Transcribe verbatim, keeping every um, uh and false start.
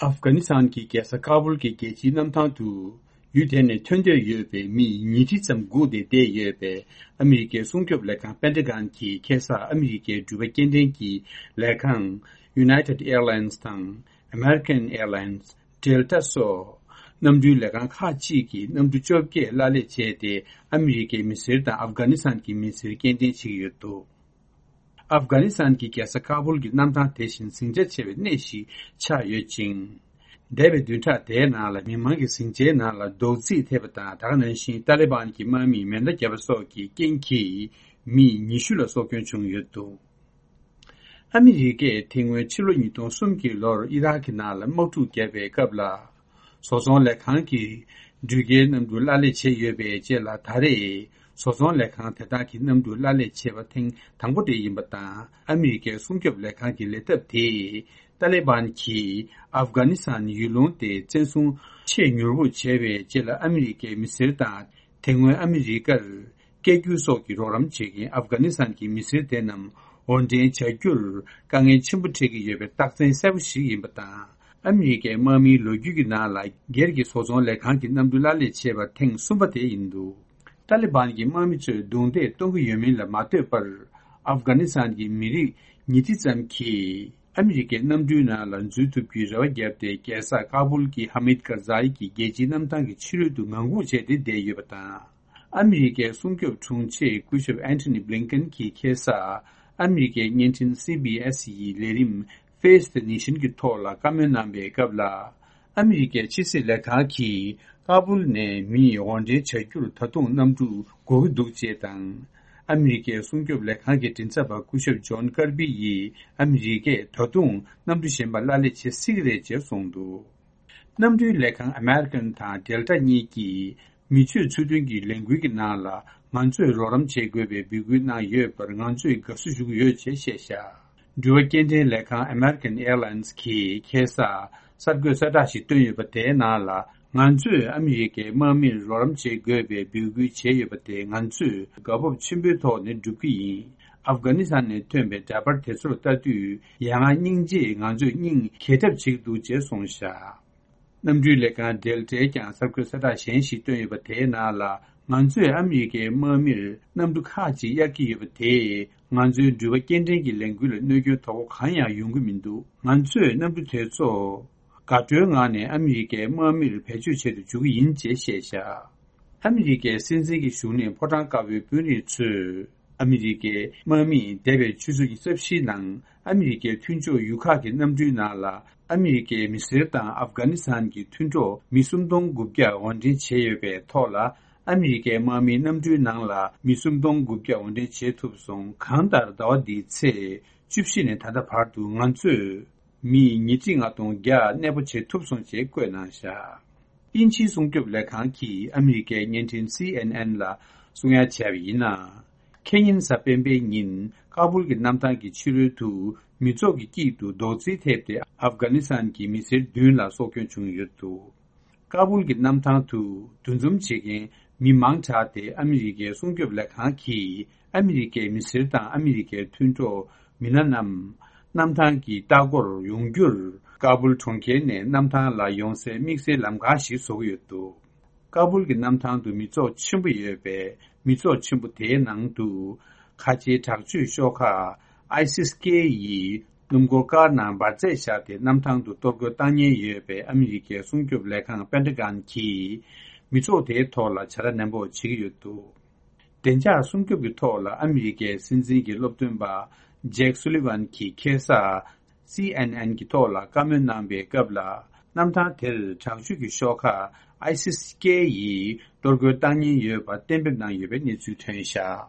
ཨབ་གྷ་ནི་སི་ཐན་གྱི་རྒྱལ་ས་ཀ་བུལ་གྱི་རྒྱལ་སྤྱིའི་གནམ་ཐང་དུ། ཡུལ་དེ་ནས་ཐོན་འདོད་ཡོད་པའི་མི་ཉིས་ཁྲི་ཙམ་སྒུག་སྟེ་བསྡད་ཡོད་པས། ཨ་མི་རི་ཀའི་སྲུང་སྐྱོབ་ལས་ཁང་པེན་ཏ་གོན་གྱིས་ཁ་སང་ཨ་མི་རི་ཀའི་འགྲུལ་པ་སྐྱེལ་འདྲེན་གྱི་ལས་ཁང་United Airlines དང་American Airlines། Delta སོགས་གནམ་གྲུའི་ལས་ཁང་ཁག་ཅིག་གིས་གནམ་གྲུ་བཅོ་བརྒྱད་གླ་ལེན་བྱས་ཏེ། ཨ་མི་རི་ཀའི་མི་སེར་དང་ཨབ་གྷ་ནི་སི་ཐན་གྱི་མི་སེར་སྐྱེལ་འདྲེན་བྱེད་ཀྱི་ཡོད་འདུག་ཨབ་གྷ་ནི་སི་ཐན་གྱི་རྒྱལ་ས་ཀ་བུལ་གྱི་གནམ་ཐང་དེ་བཞིན་ཟིང་ཆ་ཆེ་བའི་གནས་ཤིག་ཆགས་ཡོད་ཅིང་། འདས་པའི་བདུན་ཕྲག་དེའི་ནང་ལ་མི་མང་གི་ཟིང་ཆའི་ནང་ལ་རྡོག་རྫིས་ཐེབས་པ་དང་། ད་ག་ནང་བཞིན་ཏཱ་ལི་བན་གྱི་དམག་མིས་མེ་མདའ་བརྒྱབ་པ་སོགས་ཀྱི་རྐྱེན་གྱིས་མི་ཉི་ཤུ་ལ་སྲོག་སྐྱོན་བྱུང་ཡོད་འདུག་ཨ་མི་རི་ཀས་དེ་སྔོན་ཕྱི་ལོ་ཉིས་སྟོང་གསུམ་གྱི་ལོར་ཨི་རག་གི་ནང་ལ་དམག་འཁྲུག་བརྒྱབ་པའི་སྐབས་ལ། བཟོ་ཚོང་ལས་ཁང་གིས་འགྲུལ་སྐྱེལ་གནམ་གྲུ་གླ་ལེན་བྱས་ཡོད་པའི་རྗེས་ལ། ད་རེས་བཟོ་ཚོང་ལས་ཁང་དེ་དག་གིས་གནམ་གྲུ་གླ་ལེན་བྱས་པ་ཐེངས་དང་པོ་དེ་ཡིན་པ་དང་། ཨ་མི་རི་ཀའི་སྲུང་སྐྱོབ་ལས་ཁང་གི་ལས་ཐབས་དེས་ཏཱ་ལི་བན་གྱིས་ཨབ་གྷ་ནི་སི་ཐན་ཡུལ་ལུང་དེ་བཙན་བཟུང་ཆེས་མྱུར་པོ་བྱས་པའི་རྗེས་ལ། ཨ་མི་རི་ཀའི་མི་སེར་དང་དེ་སྔོན་ཨ་མི་རི་ཀར་སྐད་སྒྱུར་སོགས་ཀྱི་རོགས་རམ་བྱེད་མཁན་ཨབ་གྷ་ནི་སི་ཐན་གྱི་མི་སེར་དེ་རྣམས་དབོར་འདྲེན་བྱ་རྒྱུར་དཀའ་ངལ་ཆེན་པོ་འཕྲད་ཀྱི་ཡོད་པའི་རྟགས་མཚན་གསལ་པོ་ཞིག་ཡིན་པ་དང་། ཨ་མི་རི་ཀའི་དམག་མིའི་ལོ་རྒྱུས་ཀྱི་ནང་ལ་སྒེར་གྱི་བཟོ་ཚོང་ལས་ཁང་གི་གནམ་གྲུ་གླ་ལེན་བྱས་པ་ཐེངས་གསུམ་པ་དེ་ཡིན་འདུག་ཏཱ་ལི་བན་གྱི་དམག་མི་ཚོས་རྡུང་རྡེག་གཏོང་གི་ཡོད་མིན་ལ་མ་ལྟོས་པར། ཨབ་གྷ་ནི་སི་ཐན་གྱི་མི་རིགས་ཉིས་ཁྲི་ཙམ་གྱིས་ཨ་མི་རི་ཀའི་གནམ་གྲུའི་ནང་ལ་འཛུལ་ཐུབ་རྒྱུའི་རེ་བ་བརྒྱབ་སྟེ། རྒྱལ་ས་ཀ་བུལ་གྱི་ཧ་མིད་ཀར་ཛའི་གྱི་རྒྱལ་སྤྱིའི་གནམ་ཐང་གི་ཕྱི་རོལ་དུ་ངང་སྒུག་བྱས་ཏེ་བསྡད་ཡོད་པ་དང་། ཨ་མི་རི་ཀའི་སྲུང་སྐྱོབ་དྲུང་ཆེ་སྐུ་ཞབས་ཨན་ཐོ་ནི་བྷི་ལིན་ཀན་གྱིས་ཁ་སང་ཨ་མི་རི་ཀའི་བརྙན་འཕྲིན་སི་བྷི་ཨེས་ཡི་ལས་རིམ་Face the Nation གྱི་ཐོག་ལ་བཀའ་མོལ་གནང་པའི་སྐབས་ལ། ཨ་མི་རི་ཀའི་ཕྱི་སྲིད་ལས་ཁང་གིས་ཀ་བུལ་ནས་མི་དབོར་འདྲེན་བྱ་རྒྱུར་ད་དུང་གནམ་གྲུ་དགོས་ཀྱི་འདུག་ཅེས་དང་། ཨ་མི་རི་ཀའི་སྲུང་སྐྱོབ་ལས་ཁང་གི་མགྲིན་ཚབ་པ་སྐུ་ཞབས་ཇོན་ཀར་པི་ཡིས། ཨ་མི་རི་ཀས་ད་དུང་གནམ་གྲུ་གཞན་པ་གླ་ལེན་བྱེད་སྲིད་ཀྱི་རེད་ཅེས་གསུངས་འདུག་གནམ་གྲུའི་ལས་ཁང་American དང་Delta གཉིས་ཀྱིས་མི་སྤྱོད་ཚུལ་མཐུན་གྱི་ལས་འགུལ་གྱི་ནང་ལ་ང་ཚོས་རོགས་རམ་བྱེད་དགོས་པའི་འབོད་སྐུལ་གནང་ཡོད་པར་ང་ཚོས་དགའ་བསུ་ཞུ་གི་ཡོད་ཅེས་བཤད་བཞག་འགྲུལ་པ་སྐྱེལ་འདྲེན་ལས་ཁང་American Airlines གིས་ཁ་སང་གསར་འགོད་གསལ་བསྒྲགས་ཤིག་བཏོན་ཡོད་པ། དེའི་ནང་ལ། ང་ཚོས་ཨ་མི་རི་ཀའི་དམག་མིར་རོགས་རམ་བྱེད་དགོས་པའི་འབོད་སྐུལ་བྱས་ཡོད་པ་དེ་ང་ཚོས་དགའ་སྤོབས་ཆེན་པོའི་ཐོག་ནས་སྒྲུབ་ཀྱི་ཡིན། ཨབ་གྷ་ནི་སི་ཐན་ནས་ཐོན་པའི་འདྲ་པར་དེ་ཚོར་ལྟ་དུས། ཡ་ང་སྙིང་རྗེས་ང་ཚོས་སྙིང་གས་འཁྲབ་བྱེད་ཀྱི་འདུག་ཅེས་གསུངས་བཞག་གནམ་གྲུའི་ལས་ཁང་Deltaའི་ཀྱང་གསར་འགོད་གསལ་བསྒྲགས་གཞན་ཞིག་བཏོན་ཡོད་པ། དེའི་ནང་ལ། ང་ཚོས་ཨ་མི་རི་ཀའི་དམག་མིར་གནམ་གྲུ་ཁག་ཅིག་གཡར་གྱི་ཡོད་པ་དེས། ང་ཚོའི་འགྲུལ་པ་སྐྱེལ་འདྲེན་གྱི་ལས་འགུལ་ལ་གནོད་སྐྱོན་དོ་ཕོག་གང་ཡང་ཡོང་གི་མི་འདུག་ང་ཚོས་གནམ་གྲུ་དེ་ཚོ་དགའ་སྤྲོའི་ངང་ནས་ཨ་མི་རི་ཀའི་དམག་མིར་བེད་སྤྱོད་བྱེད་དུ་འཇུག་གི་ཡིན་ཅེས་བཤད་བཞག་ཨ་མི་རི་ཀའི་སྲིད་འཛིན་གྱི་བཞུགས་གནས་ཕོ་བྲང་དཀར་པོའི་དཔོན་རིགས་ཚོས། ཨ་མི་རི་ཀའི་དམག་མིས་འདས་པའི་ཆུ་ཚོད་ཉི་ཤུ་རྩ་བཞིའི་ནང་ཨ་མི་རི་ཀའི་མཐུན་ཕྱོགས་ཡུལ་ཁག་གི་གནམ་གྲུའི་ནང་ལ། ཨ་མི་རི་ཀའི་མི་སེར་དང་ཨབ་གྷ་ནི་སི་ཐན་གྱི་མཐུན་གྲོགས་མི་སུམ་སྟོང་དགུ་བརྒྱ་དབོར་འདྲེན་བྱས་ཡོད་པའི་ཐོག་ལ། ཨ་མི་རི་ཀའི་དམག་མིས་གནམ་གྲུའི་ནང་ལ་མི་སུམ་སྟོང་དགུ་བརྒྱ་དབོར་འདྲེན་བྱེད་ཐུབ་སོང་། གང་ལྟར་ཟླ་བ་འདིའི་ཚེས་བཅུ་བཞི་ནས་ད་ལྟ་བར་དུ་ང་ཚོས་མི་ཉིས་ཁྲི་ལྔ་སྟོང་བརྒྱ་གནས་སྤོ་བྱེད་ཐུབ་སོང་ཞེས་བཀོད་གནང་བཞག་དབྱིན་ཇིའི་སྲུང་སྐྱོབ་ལས་ཁང་གིས་ཨ་མི་རི་ཀའི་བརྙན་འཕྲིན་སི་ཨེན་ཨེན་ལ་གསུང་ཡ་བྱས་པ་ཡིན་ན། ཁེ་ཉིན་གཟའ་སྤེན་པའི་ཉིན་ཀ་བུལ་གྱི་གནམ་ཐང་གི་ཕྱི་རོལ་དུ་མི་ཚོགས་ཀྱི་དཀྱིལ་དུ་རྡོག་རྫིས་ཐེབས་ཏེ། ཨབ་གྷ་ནི་སི་ཐན་གྱི་མི་སེར་བདུན་ལ་སྲོག་སྐྱོན་བྱུང་ཡོད་འདུག་ཀ་བུལ་གྱི་གནམ་ཐང་དུ་འདུ་འཛོམས་བྱེད་མཁན་མི་མང་དྲགས་ཏེ། ཨ་མི་རི་ཀའི་སྲུང་སྐྱོབ་ལས་ཁང་གིས་ཨ་མི་རི་ཀའི་མི་སེར་དང་ཨ་མི་རི་ཀའི་མཐུན་གྲོགས་མི་སྣ་རྣམས་གནམ་ཐང་གི་ལྟ་སྐོར་ཡོང་རྒྱུར། ཀ་བུལ་གྲོང་ཁྱེར་ནས་གནམ་ཐང་ལ་ཡོང་སའི་དམིགས་བསལ་ལམ་ཁ་ཞིག་བཟོ་གི་ཡོད་འདུག་ཀ་བུལ་གྱི་གནམ་ཐང་དུ་མི་ཚོགས་ཆེན་པོ་ཡོད་པས། མི་ཚོགས་ཆེན་པོ་དེའི་ནང་དུ་ཁ་ཆེའི་དྲག་སྤྱོད་ཤོག་ཁག་ISIS་K ཡིས་སྣུམ་འཁོར་ཀར་ནང་འབར་རྫས་བཞག་སྟེ། གནམ་ཐང་དུ་གཏོར་རྒོལ་བཏང་ཉེན་ཡོད་པས། ཨ་མི་རི་ཀའི་སྲུང་སྐྱོབ་ལས་ཁང་པེན་ཏ་གོན་གྱིས་མི་ཚོགས་དེའི་ཐོག་ལ་བྱ་དགའ་ནན་པོ་བྱེད་ཀྱི་ཡོད་འདུག་བདེ་འཇགས་སྲུང་སྐྱོབ་ཀྱི་ཐོག་ལ་ཨ་མི་རི་ཀའི་སྲིད་འཛིན་གྱི་སློབ་སྟོན་པ་ཇེག་སུ་ལི་ཝན་གྱིས་ཁ་སང་སི་ཨེན་ཨེན་གྱི་ཐོག་ལ་བཀའ་མོལ་གནང་པའི་སྐབས་ལ། གནམ་ཐང་དེར་དྲག་སྤྱོད་ཀྱི་ཤོག་ཁག་ISIS K ཡིས་གཏོར་རྒོལ་བཏང་ཉེན་ཡོད་པ་གཏན་འབེབས་གནང་ཡོད་པའི་གནས་ཚུལ་ཐོན་བཞག